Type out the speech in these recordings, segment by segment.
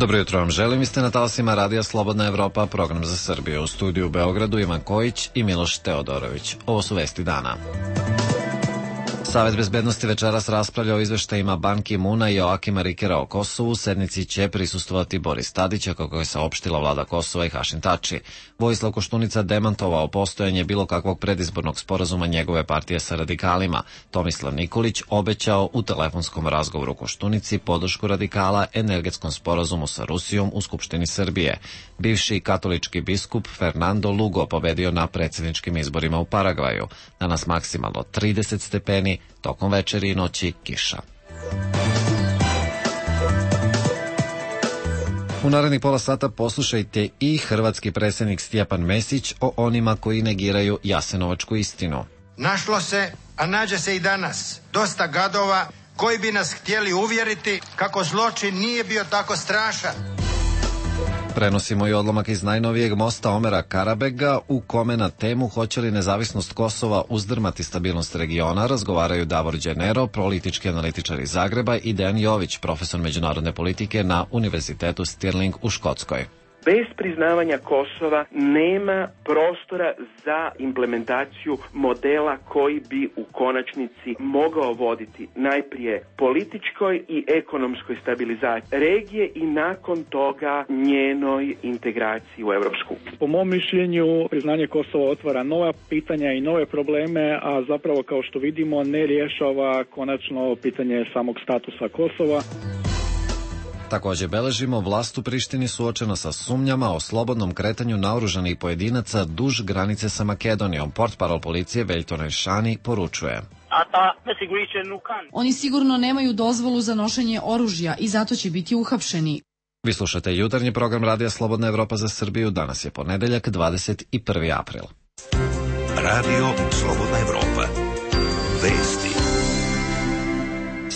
Dobro jutro vam želim, vi ste na talasima Radija Slobodna Evropa, program za Srbiju. U studiju u Beogradu Ivan Kojić i Miloš Teodorović. Ovo su vesti dana. Savet bezbednosti večeras raspravlja o izveštajima Ban Ki-muna i Joakima Rikera o Kosovu. Sednici će prisustvovati Boris Tadić, kako je saopštila vlada Kosova i Hašim Tači. Vojislav Koštunica demantovao postojanje bilo kakvog predizbornog sporazuma njegove partije sa radikalima. Tomislav Nikolić obećao u telefonskom razgovoru Koštunici podršku radikala energetskom sporazumu sa Rusijom u Skupštini Srbije. Bivši katolički biskup Fernando Lugo pobedio na predsjedničkim izborima u Paragvaju. Danas maksimalno 30 stepeni, tokom večeri i noći kiša. U narednih pola sata poslušajte i hrvatski predsjednik Stjepan Mesić o onima koji negiraju jasenovačku istinu. Našlo se, a nađe se i danas, dosta gadova koji bi nas htjeli uvjeriti kako zločin nije bio tako strašan. Prenosimo i odlomak iz najnovijeg mosta Omera Karabega, u kome na temu hoće li nezavisnost Kosova uzdrmati stabilnost regiona razgovaraju Davor Đenero, politički analitičar iz Zagreba, i Dejan Jović, profesor međunarodne politike na Univerzitetu Stirling u Škotskoj. Bez priznavanja Kosova nema prostora za implementaciju modela koji bi u konačnici mogao voditi najprije političkoj i ekonomskoj stabilizaciji regije i nakon toga njenoj integraciji u Europsku. Po mom mišljenju, priznanje Kosova otvara nova pitanja i nove probleme, a zapravo, kao što vidimo, ne rješava konačno pitanje samog statusa Kosova. Također beležimo, vlast u Prištini suočena sa sumnjama o slobodnom kretanju naoružanih pojedinaca duž granice sa Makedonijom. Portparol policije Veljko Rešani poručuje: Oni sigurno nemaju dozvolu za nošenje oružja i zato će biti uhapšeni. Vi slušate jutarnji program Radija Slobodna Evropa za Srbiju. Danas je ponedeljak, 21. april. Radio Slobodna Evropa. Vesti.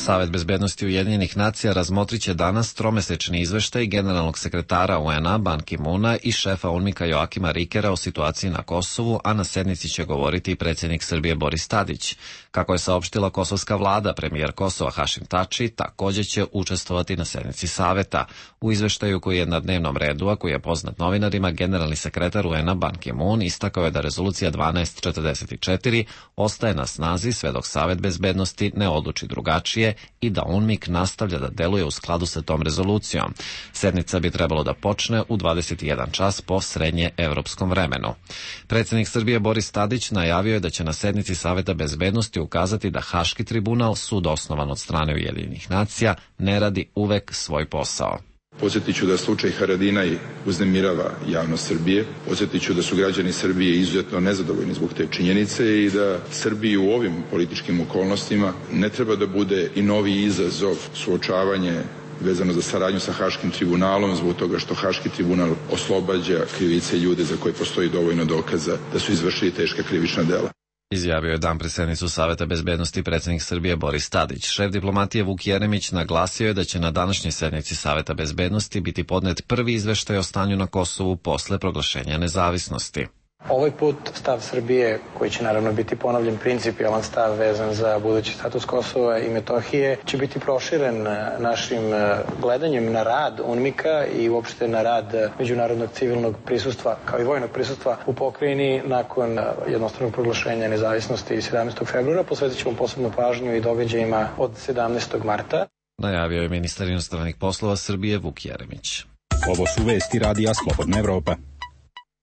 Savet bezbednosti Ujedinjenih nacija razmotrit će danas tromesečni izveštaj generalnog sekretara UN-a Ban Ki-muna i šefa UNMIK-a Joakima Rikera o situaciji na Kosovu, a na sednici će govoriti i predsjednik Srbije Boris Tadić. Kako je saopštila kosovska vlada, premijer Kosova Hašim Tači također će učestvovati na sednici saveta. U izveštaju koji je na dnevnom redu, a koji je poznat novinarima, generalni sekretar UN-a Ban Ki-mun istakao je da rezolucija 1244 ostaje na snazi sve dok Savet bezbednosti ne odluči drugačije i da UNMIK nastavlja da deluje u skladu sa tom rezolucijom. Sednica bi trebalo da počne u 21 čas po srednje evropskom vremenu. Predsjednik Srbije Boris Tadić najavio je da će na sednici Saveta bezbednosti ukazati da Haški tribunal, sud osnovan od strane Ujedinjenih nacija, ne radi uvek svoj posao. Podsjetit ću da slučaj Haradinaj uznemirava javnost Srbije. Podsjetit ću da su građani Srbije izuzetno nezadovoljni zbog te činjenice i da Srbiji u ovim političkim okolnostima ne treba da bude i novi izazov suočavanje vezano za saradnju sa Haškim tribunalom, zbog toga što Haški tribunal oslobađa krivice ljude za koje postoji dovoljno dokaza da su izvršili teška krivična dela. Izjavio je dan pred sednicu Saveta bezbednosti predsjednik Srbije Boris Tadić. Šef diplomatije Vuk Jeremić naglasio je da će na današnjoj sednici Saveta bezbednosti biti podnet prvi izveštaj o stanju na Kosovu posle proglašenja nezavisnosti. Ovaj put stav Srbije, koji će naravno biti ponovljen principijalan stav vezan za budući status Kosova i Metohije, će biti proširen našim gledanjem na rad UNMIK-a i uopšte na rad međunarodnog civilnog prisustva, kao i vojnog prisustva u pokrajini nakon jednostranog proglašenja nezavisnosti 17. februara. Posvetit ćemo posebnu pažnju i događajima od 17. marta. Najavio je ministar inostranih poslova Srbije Vuk Jeremić. Ovo su vesti Radija Slobodna Evropa.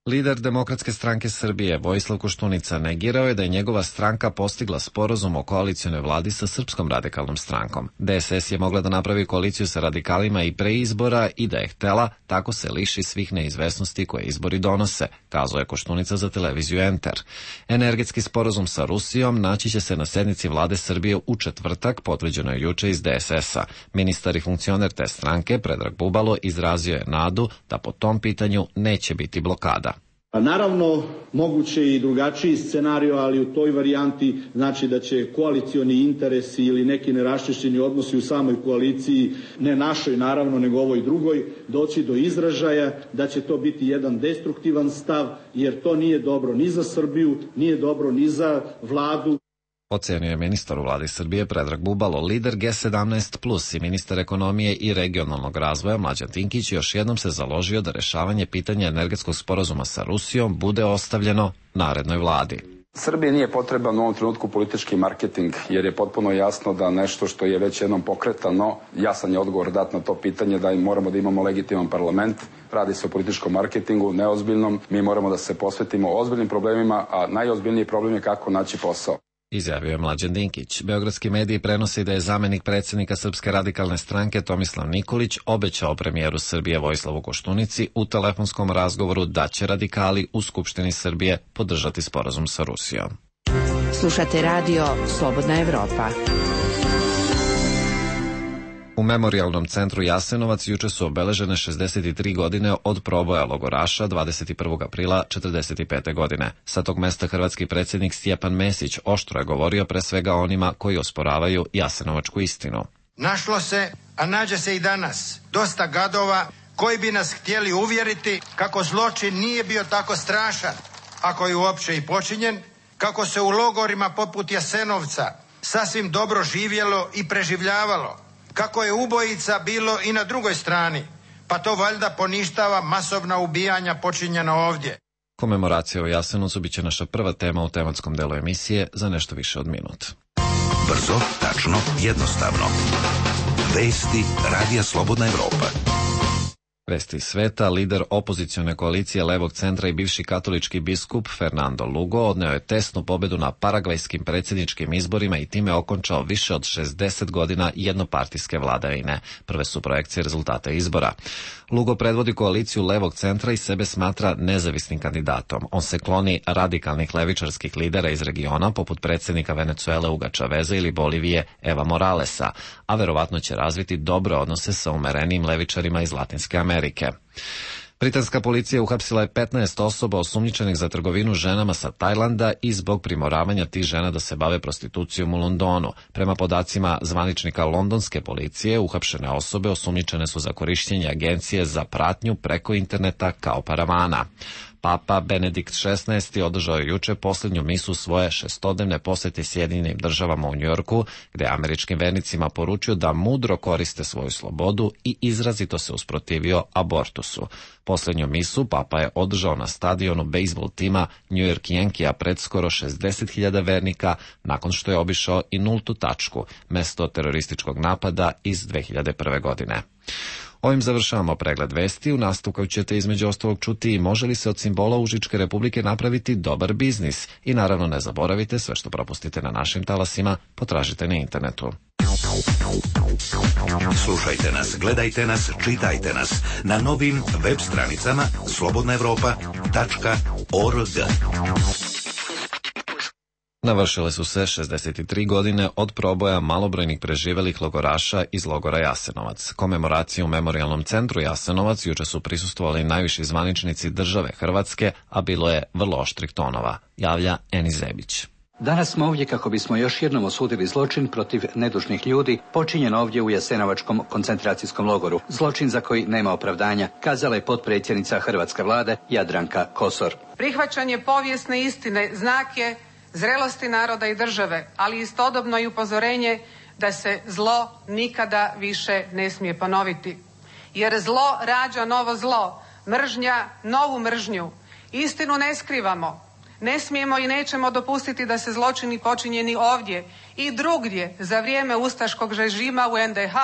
Lider Demokratske stranke Srbije Vojislav Koštunica negirao je da je njegova stranka postigla sporazum o koalicionoj vladi sa Srpskom radikalnom strankom. DSS je mogla da napravi koaliciju sa radikalima i pre izbora i da je htela, tako se liši svih neizvesnosti koje izbori donose, kazao je Koštunica za televiziju Enter. Energetski sporazum sa Rusijom naći će se na sednici vlade Srbije u četvrtak, potvrđeno je juče iz DSS-a. Ministar i funkcioner te stranke, Predrag Bubalo, izrazio je nadu da po tom pitanju neće biti blokada. Naravno, moguće i drugačiji scenario, ali u toj varijanti znači da će koalicioni interesi ili neki neraščišćeni odnosi u samoj koaliciji, ne našoj naravno, nego ovoj drugoj, doći do izražaja, da će to biti jedan destruktivan stav, jer to nije dobro ni za Srbiju, nije dobro ni za vladu. Ocenio je ministar u vladi Srbije Predrag Bubalo, lider G17+, i ministar ekonomije i regionalnog razvoja Mlađan Dinkić još jednom se založio da rešavanje pitanja energetskog sporazuma sa Rusijom bude ostavljeno narednoj vladi. Srbiji nije potreban u ovom trenutku politički marketing, jer je potpuno jasno da nešto što je već jednom pokretano, jasan je odgovor dat na to pitanje da moramo da imamo legitiman parlament. Radi se o političkom marketingu, neozbiljnom. Mi moramo da se posvetimo ozbiljnim problemima, a najozbiljniji problem je kako naći posao. Izjavio je Mlađan Dinkić. Beogradski mediji prenose da je zamenik predsjednika Srpske radikalne stranke Tomislav Nikolić obećao premijeru Srbije Vojislavu Koštunici u telefonskom razgovoru da će radikali u Skupštini Srbije podržati sporazum sa Rusijom. Slušate radio Slobodna Evropa. U Memorijalnom centru Jasenovac juče su obeležene 63 godine od proboja logoraša 21. aprila 1945. godine. Sa tog mesta hrvatski predsjednik Stjepan Mesić oštro je govorio pre svega onima koji osporavaju jasenovačku istinu. Našlo se, a nađe se i danas, dosta gadova koji bi nas htjeli uvjeriti kako zločin nije bio tako strašan, ako je uopće i počinjen, kako se u logorima poput Jasenovca sasvim dobro živjelo i preživljavalo, kako je ubojica bilo i na drugoj strani, pa to valjda poništava masovna ubijanja počinjena ovdje. Komemoracija u Jasenovcu biće naša prva tema u tematskom delu emisije za nešto više od minut. Brzo, tačno, jednostavno. Vesti Radija Slobodna Evropa. Vesti iz sveta, lider opozicione koalicije Levog centra i bivši katolički biskup Fernando Lugo odneo je tesnu pobedu na paragvajskim predsjedničkim izborima i time okončao više od 60 godina jednopartijske vladavine. Prve su projekcije rezultata izbora. Lugo predvodi koaliciju Levog centra i sebe smatra nezavisnim kandidatom. On se kloni radikalnih levičarskih lidera iz regiona, poput predsjednika Venecuele Huga Chaveza ili Bolivije Eva Moralesa, a verovatno će razviti dobre odnose sa umerenijim levičarima iz Latinske Amerike. Britanska policija uhapsila je 15 osoba osumnjičenih za trgovinu ženama sa Tajlanda i zbog primoravanja tih žena da se bave prostitucijom u Londonu. Prema podacima zvaničnika londonske policije, uhapšene osobe osumnjičene su za korišćenje agencije za pratnju preko interneta kao paravana. Papa Benedikt XVI održao je juče posljednju misu svoje šestodnevne posete Sjedinjenim državama u Njujorku, gde je američkim vernicima poručio da mudro koriste svoju slobodu i izrazito se usprotivio abortusu. Posljednju misu Papa je održao na stadionu bejzbol tima New York Yankija pred skoro 60.000 vernika, nakon što je obišao i nultu tačku, mesto terorističkog napada iz 2001. godine. Ovim završavamo pregled vesti. U nastavku ćete između ostalog čuti i može li se od simbola Užičke republike napraviti dobar biznis. I naravno ne zaboravite, sve što propustite na našim talasima potražite na internetu. Slušajte nas, gledajte nas, čitajte nas na novim web stranicama slobodnaevropa.org. Navršile su se 63 godine od proboja malobrojnih preživelih logoraša iz logora Jasenovac. Komemoraciju u Memorijalnom centru Jasenovac juče su prisustvovali najviši zvaničnici države Hrvatske, a bilo je vrlo oštrih tonova, javlja Eni Zebić. Danas smo ovdje kako bismo još jednom osudili zločin protiv nedužnih ljudi počinjen ovdje u Jasenovačkom koncentracijskom logoru. Zločin za koji nema opravdanja, kazala je potpredsjednica hrvatske vlade Jadranka Kosor. Prihvaćanje povijesne istine znak je zrelosti naroda i države, ali istodobno i upozorenje da se zlo nikada više ne smije ponoviti. Jer zlo rađa novo zlo, mržnja novu mržnju. Istinu ne skrivamo. Ne smijemo i nećemo dopustiti da se zločini počinjeni ovdje i drugdje za vrijeme ustaškog režima u NDH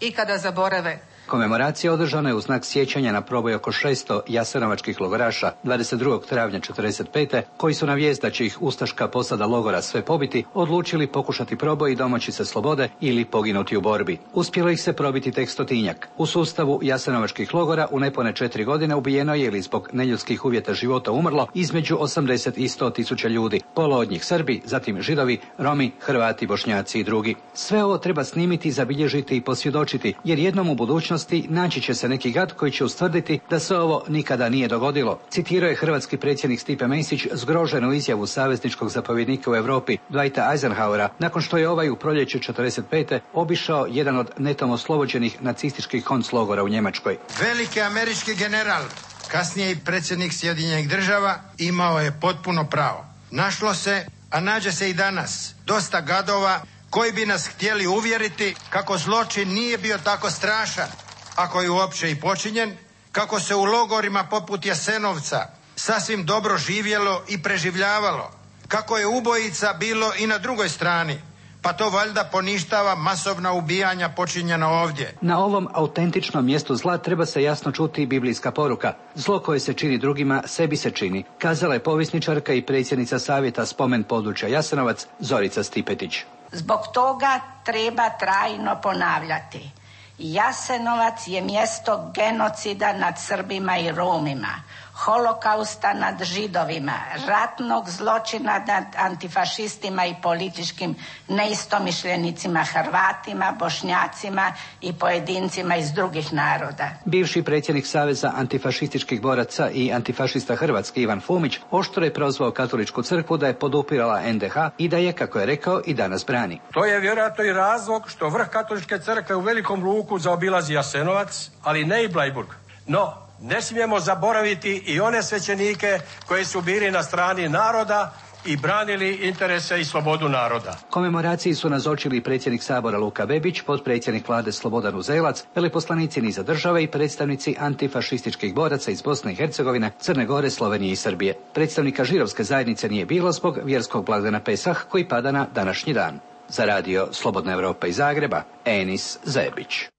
ikada zaborave. Komemoracija održana je u znak sjećanja na proboj oko 600 jasenovačkih logoraša 22. travnja 1945. koji su na vijest da će ih ustaška posada logora sve pobiti odlučili pokušati proboj i domoći se slobode ili poginuti u borbi. Uspjelo ih se probiti tek 100-tinjak. U sustavu jasenovačkih logora u nepone 4 godine ubijeno je ili zbog neljudskih uvjeta života umrlo između 80 i 100 tisuća ljudi. Pola od njih Srbi, zatim Židovi, Romi, Hrvati, Bošnjaci i drugi. Sve ovo treba snimiti, zabilježiti i posvjedočiti, jer jednom u budućnosti naći će se neki gad koji će ustvrditi da se ovo nikada nije dogodilo. Citirao je hrvatski predsjednik Stipe Mesić zgroženu izjavu savezničkog zapovjednika u Europi Dwighta Eisenhowera nakon što je ovaj u proljeće 1945. obišao jedan od netom oslobođenih nacističkih konclogora u Njemačkoj. Veliki američki general, kasnije i predsjednik Sjedinjenih država, imao je potpuno pravo. Našlo se, a nađe se i danas dosta gadova koji bi nas htjeli uvjeriti kako zločin nije bio tako strašan, ako je uopće i počinjen, kako se u logorima poput Jasenovca sasvim dobro živjelo i preživljavalo, kako je ubojica bilo i na drugoj strani, pa to valjda poništava masovna ubijanja počinjena ovdje. Na ovom autentičnom mjestu zla treba se jasno čuti biblijska poruka. Zlo koje se čini drugima, sebi se čini, kazala je povjesničarka i predsjednica Savjeta spomen područja Jasenovac Zorica Stipetić. Zbog toga treba trajno ponavljati. Jasenovac je mjesto genocida nad Srbima i Romima, holokausta nad Židovima, ratnog zločina nad antifašistima i političkim neistomišljenicima Hrvatima, Bošnjacima i pojedincima iz drugih naroda. Bivši predsjednik Saveza antifašističkih boraca i antifašista Hrvatske Ivan Fumić oštro je prozvao Katoličku crkvu da je podupirala NDH i da je, kako je rekao, i danas brani. To je vjerojatno i razlog što vrh Katoličke crkve u velikom luku zaobilazi Jasenovac, ali ne i Bleiburg. No, ne smijemo zaboraviti i one svećenike koji su bili na strani naroda i branili interese i slobodu naroda. Komemoraciji su nazočili predsjednik Sabora Luka Bebić, potpredsjednik vlade Slobodan Uzelac, veleposlanici niza države i predstavnici antifašističkih boraca iz Bosne i Hercegovine, Crne Gore, Slovenije i Srbije. Predstavnika židovske zajednice nije bilo zbog vjerskog blagdana Pesah koji pada na današnji dan. Za radio Slobodna Evropa iz Zagreba, Enis Zebić.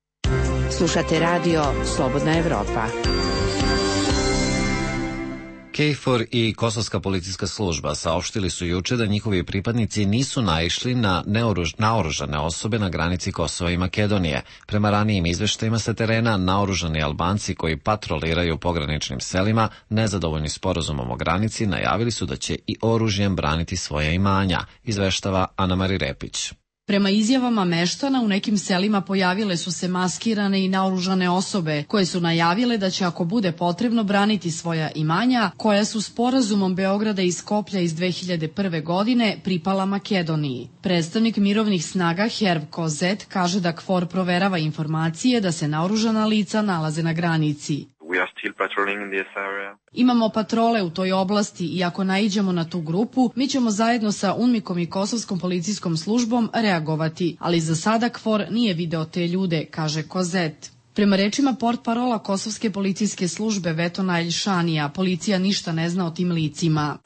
Slušate radio Slobodna Evropa. KFOR i Kosovska policijska služba saopštili su juče da njihovi pripadnici nisu naišli na naoružane osobe na granici Kosova i Makedonije. Prema ranijim izveštajima sa terena, naoružani Albanci koji patroliraju pograničnim selima, nezadovoljni sporazumom o granici, najavili su da će i oružjem braniti svoja imanja, izveštava Ana-Mari Repić. Prema izjavama meštana, u nekim selima pojavile su se maskirane i naoružane osobe koje su najavile da će, ako bude potrebno, braniti svoja imanja koja su sporazumom Beograda i Skoplja iz 2001. godine pripala Makedoniji. Predstavnik mirovnih snaga Herv Kozet kaže da KFOR proverava informacije da se naoružana lica nalaze na granici. Imamo patrole u toj oblasti i ako naiđemo na tu grupu, mi ćemo zajedno sa UNMIK-om i Kosovskom policijskom službom reagovati, ali za sada KFOR nije video te ljude, kaže Kozet. Prema rečima portparola Kosovske policijske službe Vetona Elšanija, policija ništa ne zna o tim licima.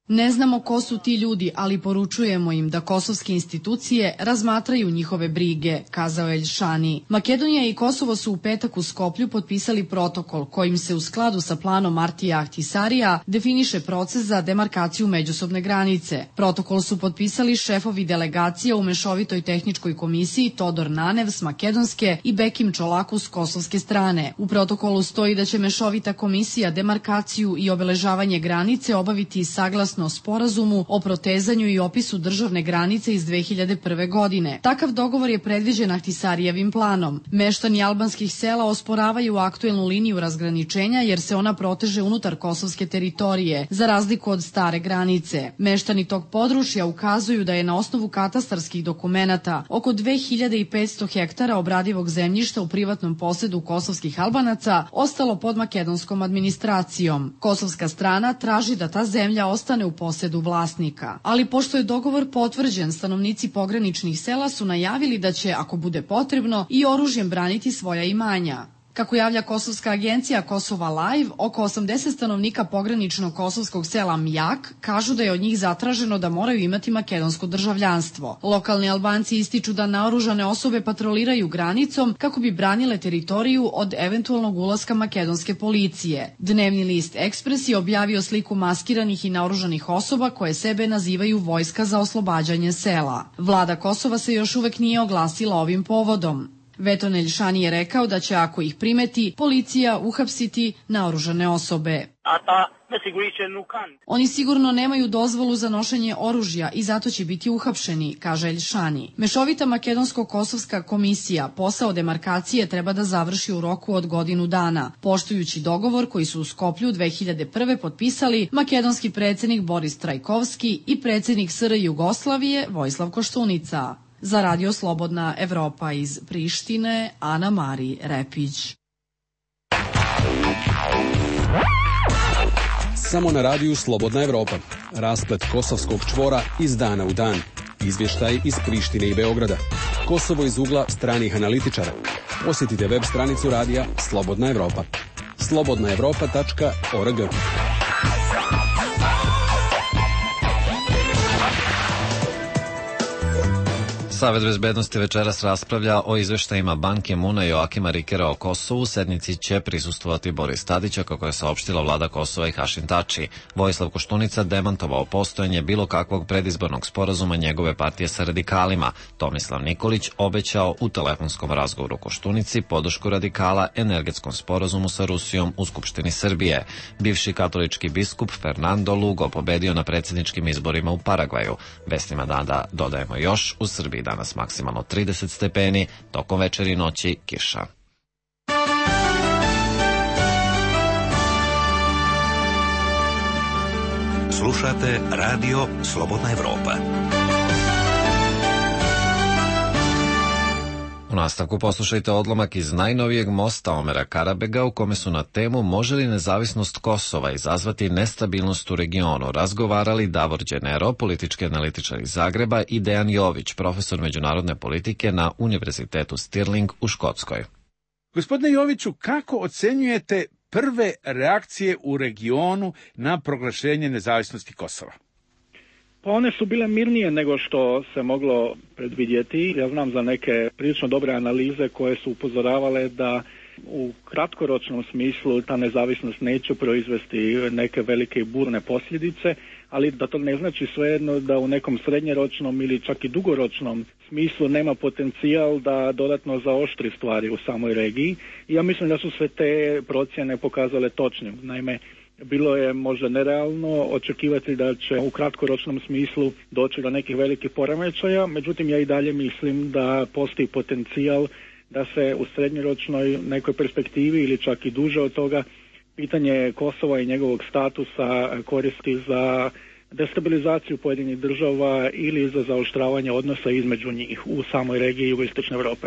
Ne znamo ko su ti ljudi, ali poručujemo im da kosovske institucije razmatraju njihove brige, kazao Elšani. Makedonija i Kosovo su u petak u Skoplju potpisali protokol kojim se u skladu sa planom Martija Ahtisarija definiše proces za demarkaciju međusobne granice. Protokol su potpisali šefovi delegacija u Mešovitoj tehničkoj komisiji Todor Nanev s makedonske i Bekim Čolaku s kosovske strane. U protokolu stoji da će Mešovita komisija demarkaciju i obeležavanje granice obaviti saglasno sporazumu o protezanju i opisu državne granice iz 2001. godine. Takav dogovor je predviđen Ahtisarijevim planom. Meštani albanskih sela osporavaju aktuelnu liniju razgraničenja jer se ona proteže unutar kosovske teritorije, za razliku od stare granice. Meštani tog područja ukazuju da je na osnovu katastarskih dokumenata oko 2500 hektara obradivog zemljišta u privatnom posedu kosovskih Albanaca ostalo pod makedonskom administracijom. Kosovska strana traži da ta zemlja ostane u posedu vlasnika. Ali pošto je dogovor potvrđen, stanovnici pograničnih sela su najavili da će, ako bude potrebno, i oružjem braniti svoja imanja. Kako javlja kosovska agencija Kosova Live, oko 80 stanovnika pograničnog kosovskog sela Mijak kažu da je od njih zatraženo da moraju imati makedonsko državljanstvo. Lokalni Albanci ističu da naoružane osobe patroliraju granicom kako bi branile teritoriju od eventualnog ulaska makedonske policije. Dnevni list Ekspres je objavio sliku maskiranih i naoružanih osoba koje sebe nazivaju Vojska za oslobađanje sela. Vlada Kosova se još uvek nije oglasila ovim povodom. Veton Elšani je rekao da će, ako ih primeti, policija uhapsiti naoružane osobe. Oni sigurno nemaju dozvolu za nošenje oružja i zato će biti uhapšeni, kaže Elšani. Mešovita makedonsko-kosovska komisija posao demarkacije treba da završi u roku od godinu dana, poštujući dogovor koji su u Skoplju 2001. potpisali makedonski predsjednik Boris Trajkovski i predsjednik SR Jugoslavije Vojislav Koštunica. Za radio Slobodna Evropa iz Prištine, Ana-Mari Repić. Samo na radiju Slobodna Evropa. Rasplet kosovskog čvora iz dana u dan. Izvještaj iz Prištine i Beograda. Kosovo iz ugla stranih analitičara. Posjetite web stranicu radija Slobodna Evropa. slobodnaevropa.org. Savet bezbednosti večeras raspravlja o izveštajima Ban Ki-moona i Joakima Rikera o Kosovu. Sednici će prisustvovati Boris Tadić, kako je saopštila vlada Kosova i Hašim Tači. Vojislav Koštunica demantovao postojanje bilo kakvog predizbornog sporazuma njegove partije sa radikalima. Tomislav Nikolić obećao u telefonskom razgovoru Koštunici podršku radikala energetskom sporazumu sa Rusijom u Skupštini Srbije. Bivši katolički biskup Fernando Lugo pobedio na predsjedničkim izborima u Paragvaju. Vestima dana dodajemo još, u Srbiji danas maksimalno 30 stepeni, tokom večeri i noći kiša. Slušate radio Slobodna Evropa. U nastavku poslušajte odlomak iz najnovijeg mosta Omera Karabega, u kome su na temu može li nezavisnost Kosova izazvati nestabilnost u regionu razgovarali Davor Đenero, politički analitičar iz Zagreba, i Dejan Jović, profesor međunarodne politike na Univerzitetu Stirling u Škotskoj. Gospodine Joviću, kako ocenjujete prve reakcije u regionu na proglašenje nezavisnosti Kosova? Pa one su bile mirnije nego što se moglo predvidjeti. Ja znam za neke prilično dobre analize koje su upozoravale da u kratkoročnom smislu ta nezavisnost neće proizvesti neke velike i burne posljedice, ali da to ne znači svejedno da u nekom srednjeročnom ili čak i dugoročnom smislu nema potencijal da dodatno zaoštri stvari u samoj regiji. I ja mislim da su sve te procjene pokazale točnim. Naime, bilo je možda nerealno očekivati da će u kratkoročnom smislu doći do nekih velikih poremećaja, međutim ja i dalje mislim da postoji potencijal da se u srednjoročnoj nekoj perspektivi ili čak i duže od toga pitanje Kosova i njegovog statusa koristi za destabilizaciju pojedinih država ili za zaoštravanje odnosa između njih u samoj regiji jugoistočne Europe.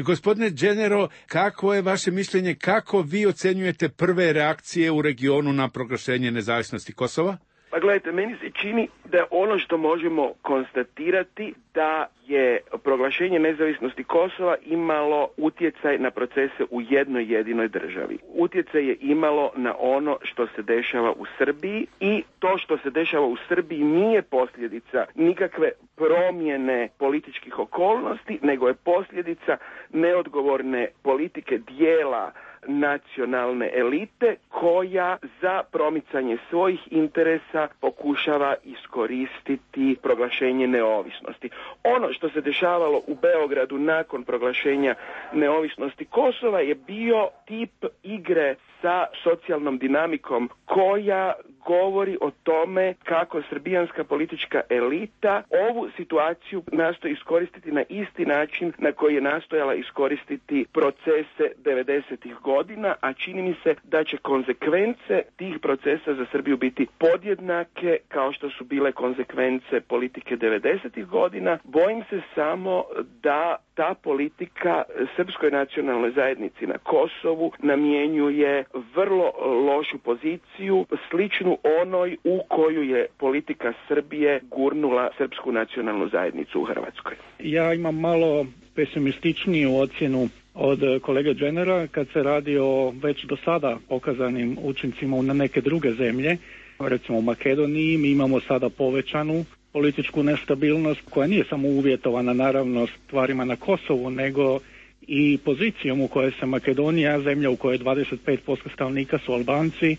Gospodine Đenero, kako je vaše mišljenje, kako vi ocenjujete prve reakcije u regionu na proglašenje nezavisnosti Kosova? Pa gledajte, meni se čini da ono što možemo konstatirati da je proglašenje nezavisnosti Kosova imalo utjecaj na procese u jednoj jedinoj državi. Utjecaj je imalo na ono što se dešava u Srbiji i to što se dešava u Srbiji nije posljedica nikakve promjene političkih okolnosti, nego je posljedica neodgovorne politike dijela nacionalne elite koja za promicanje svojih interesa pokušava iskoristiti proglašenje neovisnosti. Ono što se dešavalo u Beogradu nakon proglašenja neovisnosti Kosova je bio tip igre sa socijalnom dinamikom koja govori o tome kako srbijanska politička elita ovu situaciju nastoji iskoristiti na isti način na koji je nastojala iskoristiti procese 90-ih godina, a čini mi se da će konsekvence tih procesa za Srbiju biti podjednake kao što su bile konsekvence politike 90-ih godina. Bojim se samo da ta politika srpskoj nacionalnoj zajednici na Kosovu namjenjuje vrlo lošu poziciju, sličnu onoj u koju je politika Srbije gurnula srpsku nacionalnu zajednicu u Hrvatskoj. Ja imam malo pesimističniju ocjenu od kolege Đenera kad se radi o već do sada pokazanim učincima na neke druge zemlje. Recimo u Makedoniji mi imamo sada povećanu političku nestabilnost koja nije samo uvjetovana naravno stvarima na Kosovu, nego i pozicijom u kojoj se Makedonija, zemlja u kojoj 25% stanovnika su Albanci,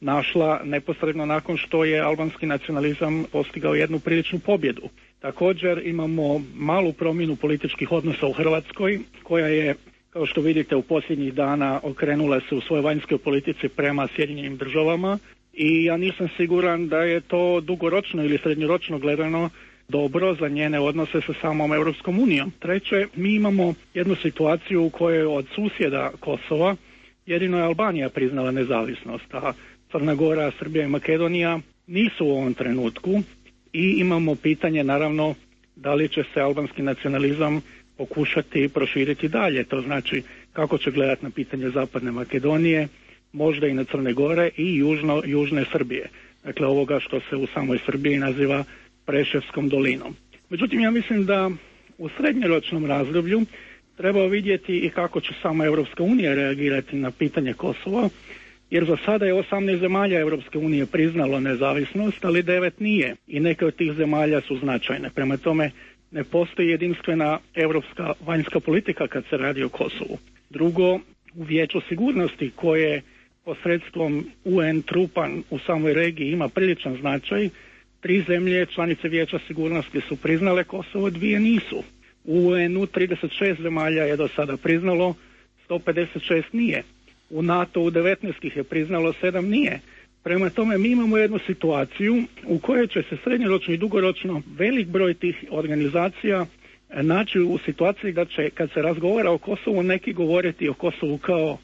našla neposredno nakon što je albanski nacionalizam postigao jednu priličnu pobjedu. Također imamo malu promjenu političkih odnosa u Hrvatskoj koja je, kao što vidite, u posljednjih dana okrenula se u svojoj vanjskoj politici prema Sjedinjenim državama i ja nisam siguran da je to dugoročno ili srednjoročno gledano dobro za njene odnose sa samom Europskom unijom. Treće, mi imamo jednu situaciju u kojoj od susjeda Kosova jedino je Albanija priznala nezavisnost, a Crna Gora, Srbija i Makedonija nisu u ovom trenutku i imamo pitanje naravno da li će se albanski nacionalizam pokušati proširiti dalje. To znači kako će gledati na pitanje Zapadne Makedonije, možda i na Crne Gore i južne Srbije. Dakle, ovoga što se u samoj Srbiji naziva Preševskom dolinom. Međutim, ja mislim da u srednjoročnom razdoblju treba vidjeti i kako će sama Europska unija reagirati na pitanje Kosova, jer za sada je 18 zemalja Europske unije priznalo nezavisnost, ali 9 nije i neke od tih zemalja su značajne. Prema tome, ne postoji jedinstvena europska vanjska politika kad se radi o Kosovu. Drugo, u Vijeću sigurnosti koje posredstvom UN trupa u samoj regiji ima priličan značaj, 3 zemlje članice Vijeća sigurnosti su priznale Kosovo, 2 nisu. U UN-u 36 zemalja je do sada priznalo, 156 nije. U NATO-u 19 ih je priznalo, 7 nije. Prema tome mi imamo jednu situaciju u kojoj će se srednjoročno i dugoročno velik broj tih organizacija naći u situaciji da će, kad se razgovara o Kosovu, neki govoriti o Kosovu kao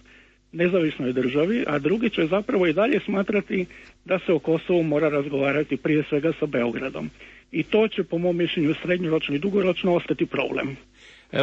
nezavisnoj državi, a drugi će zapravo i dalje smatrati da se o Kosovu mora razgovarati prije svega sa Beogradom. I to će, po mom mišljenju, srednjoročno i dugoročno ostati problem.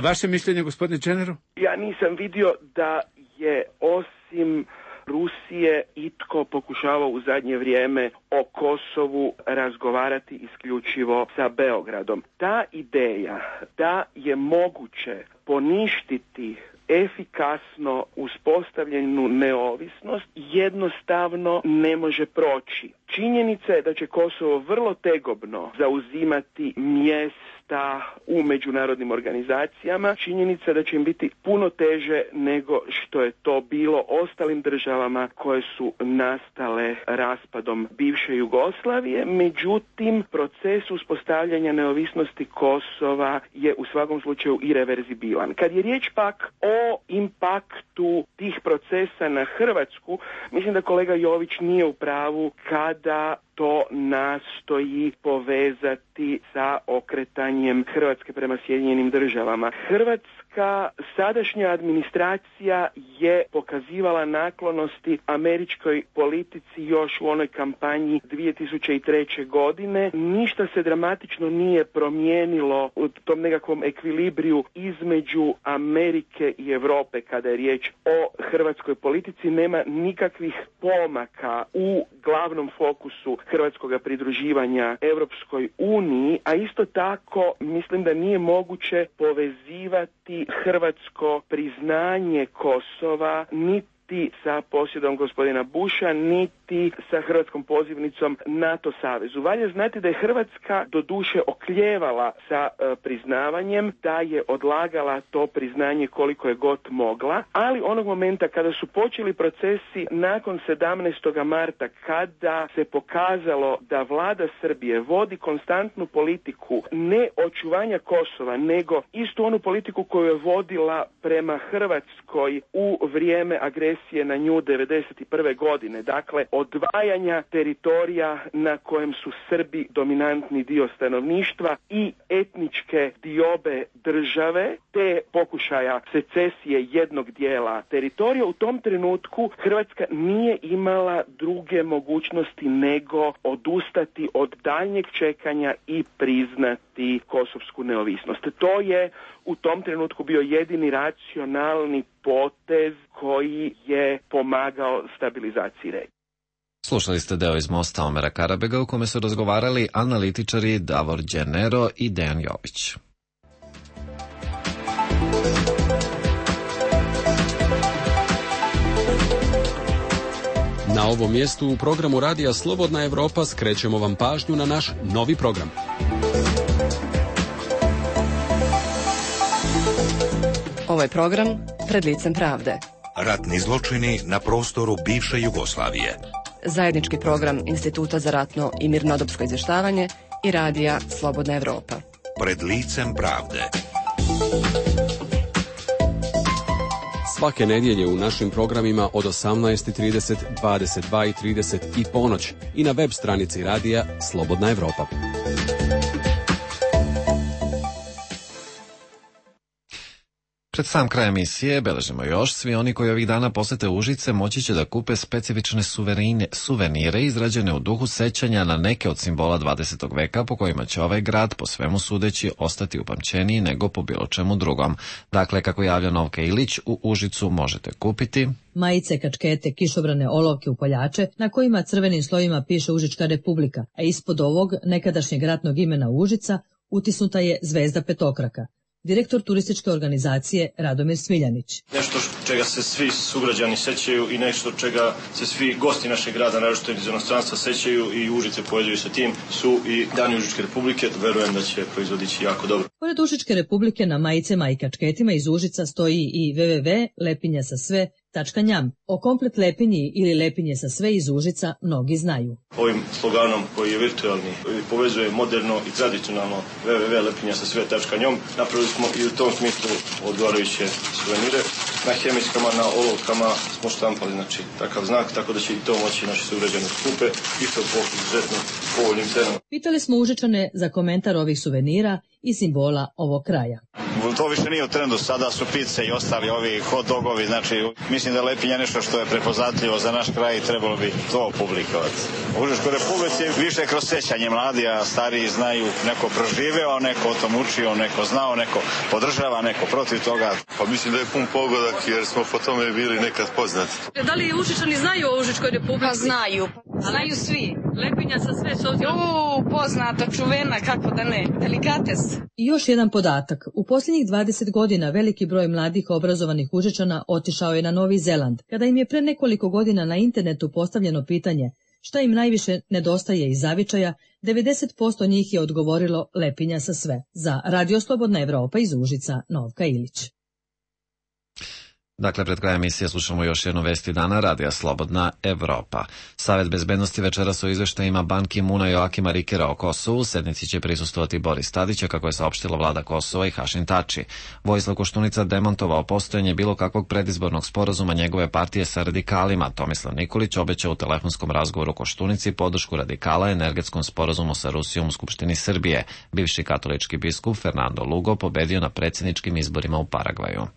Vaše mišljenje, gospodine Dženeru? Ja nisam vidio da je osim Rusije itko pokušavao u zadnje vrijeme o Kosovu razgovarati isključivo sa Beogradom. Ta ideja da je moguće poništiti efikasno uspostavljenu neovisnost jednostavno ne može proći. Činjenica je da će Kosovo vrlo tegobno zauzimati mjesta u međunarodnim organizacijama. Činjenica je da će im biti puno teže nego što je to bilo ostalim državama koje su nastale raspadom bivše Jugoslavije. Međutim, proces uspostavljanja neovisnosti Kosova je u svakom slučaju ireverzibilan. Kad je riječ pak o impaktu tih procesa na Hrvatsku, mislim da kolega Jović nije u pravu kada to nastoji povezati sa okretanjem Hrvatske prema Sjedinjenim državama. Hrvatska sadašnja administracija je pokazivala naklonosti američkoj politici još u onoj kampanji 2003. godine. Ništa se dramatično nije promijenilo u tom nekakvom ekvilibriju između Amerike i Europe kada je riječ o hrvatskoj politici. Nema nikakvih pomaka u glavnom fokusu hrvatskoga pridruživanja Europskoj uniji, a isto tako mislim da nije moguće povezivati hrvatsko priznanje Kosova niti sa posjedom gospodina Busha, niti sa hrvatskom pozivnicom NATO savezu. Valja znati da je Hrvatska doduše okljevala sa priznavanjem, da je odlagala to priznanje koliko je god mogla, ali onog momenta kada su počeli procesi nakon 17. marta, kada se pokazalo da vlada Srbije vodi konstantnu politiku ne očuvanja Kosova, nego istu onu politiku koju je vodila prema Hrvatskoj u vrijeme agresije na nju 1991. godine, dakle odvajanja teritorija na kojem su Srbi dominantni dio stanovništva i etničke diobe države, te pokušaja secesije jednog dijela teritorija. U tom trenutku Hrvatska nije imala druge mogućnosti nego odustati od daljnjeg čekanja i priznati kosovsku neovisnost. To je u tom trenutku bio jedini racionalni potez koji je pomagao stabilizaciji regije. Slušali ste deo iz Mosta Omera Karabega u kome su razgovarali analitičari Davor Dženero i Dejan Jović. Na ovom mjestu u programu Radija Slobodna Evropa skrećemo vam pažnju na naš novi program. Ovo je program Pred licem pravde. Ratni zločini na prostoru bivše Jugoslavije. Zajednički program Instituta za ratno i mirnodopsko izvještavanje i Radija Slobodna Evropa. Pred licem pravde. Svake nedjelje u našim programima od 18:30, 22:30 i ponoć i na web stranici Radija Slobodna Evropa. Pred sam kraj emisije beležimo još, svi oni koji ovih dana posete Užice moći će da kupe specifične suvenire izrađene u duhu sećanja na neke od simbola 20. veka po kojima će ovaj grad po svemu sudeći ostati upamćeniji nego po bilo čemu drugom. Dakle, kako javlja Novka Ilić, u Užicu možete kupiti majice, kačkete, kišobrane, olovke, upaljače na kojima crvenim slovima piše Užička republika, a ispod ovog nekadašnjeg ratnog imena Užica utisnuta je zvezda petokraka. Direktor turističke organizacije Radomir Smiljanić. Nešto čega se svi sugrađani sećaju i nešto čega se svi gosti našeg grada, naročito iz inostranstva, sećaju i Užice povezuju sa tim, su i Dani Užičke republike. Verujem da će proizvodići jako dobro. Pored Užičke republike na majicama i kačketima iz Užica stoji i www.lepinjasasve.njam. O komplet Lepinji ili Lepinje sa sve iz Užica mnogi znaju. Ovim sloganom koji je virtualni povezuje moderno i tradicionalno www.lepinjasasve.njom napravili smo i u tom smislu odgovarajuće suvenire. Na hemijskama, na olovkama smo štampali takav znak, tako da će i to moći naši sugrađani kupe i to po izuzetno povoljnim cenama. Pitali smo Užičane za komentar ovih suvenira i simbola ovog kraja. To više nije u trendu, sada su pice i ostali ovi hot dogovi, znači mislim da je Lepinja nešto što je prepoznatljivo za naš kraj i trebalo bi to publikovati. U Užičkoj republici više kroz sećanje, mladi, a stariji znaju, neko proživeo, neko o tom učio, neko znao, neko podržava, neko protiv toga. Pa mislim da je pun pogodak jer smo po tome bili nekad poznati. Da li Užičani znaju o Užičkoj republici? Pa znaju. Znaju svi. Lepinja sa sve s obzirom. Poznata, čuvena, kako da ne, delikates. I još jedan podatak. U posljednjih 20 godina veliki broj mladih obrazovanih Užičana otišao je na Novi Zeland, kada im je pre nekoliko godina na internetu postavljeno pitanje šta im najviše nedostaje iz zavičaja, 90% njih je odgovorilo Lepinja sa sve. Za Radio Slobodna Evropa iz Užica, Novka Ilić. Dakle, pred krajem emisije slušamo još jednu vesti dana Radija Slobodna Evropa. Savet bezbednosti večeras o izveštajima Ban Ki-muna i Joakima Rikera o Kosovu. Sednici će prisustvovati Boris Tadić, kako je saopštila vlada Kosova, i Hašim Tači. Vojislav Koštunica demontovao postojanje bilo kakvog predizbornog sporazuma njegove partije sa radikalima. Tomislav Nikolić obećao u telefonskom razgovoru Koštunici podršku radikala energetskom sporazumu sa Rusijom u Skupštini Srbije. Bivši katolički biskup Fernando Lugo pobedio na predsjedničkim izborima u Paragvaju.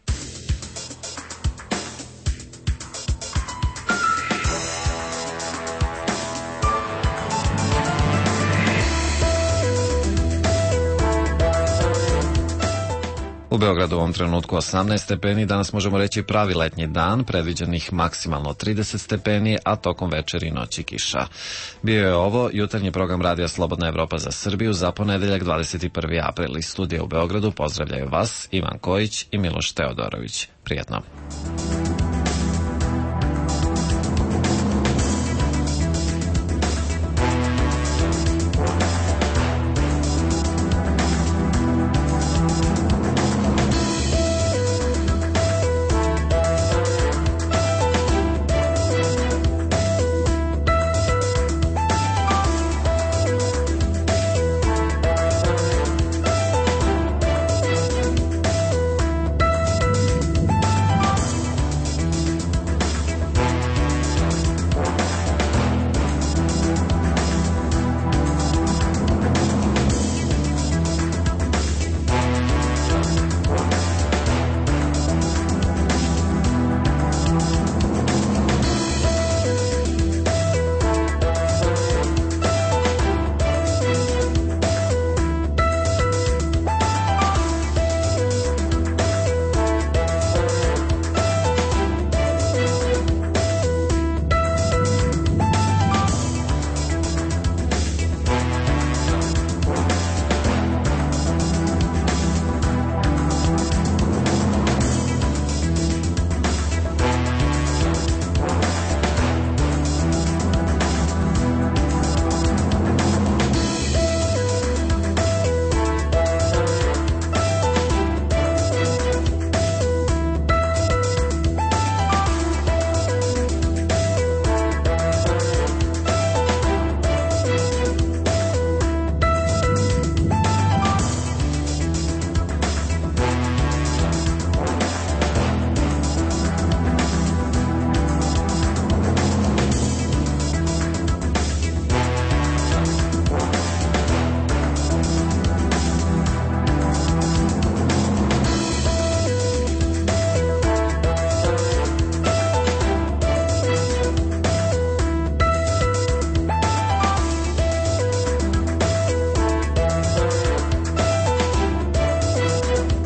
U Beogradu u ovom trenutku 18 stepeni, danas možemo reći pravi letnji dan, predviđenih maksimalno 30 stepeni, a tokom večeri i noći kiša. Bio je ovo jutarnji program Radija Slobodna Evropa za Srbiju za ponedeljak 21. april. Iz studija u Beogradu pozdravljaju vas Ivan Kojić i Miloš Teodorović. Prijetno.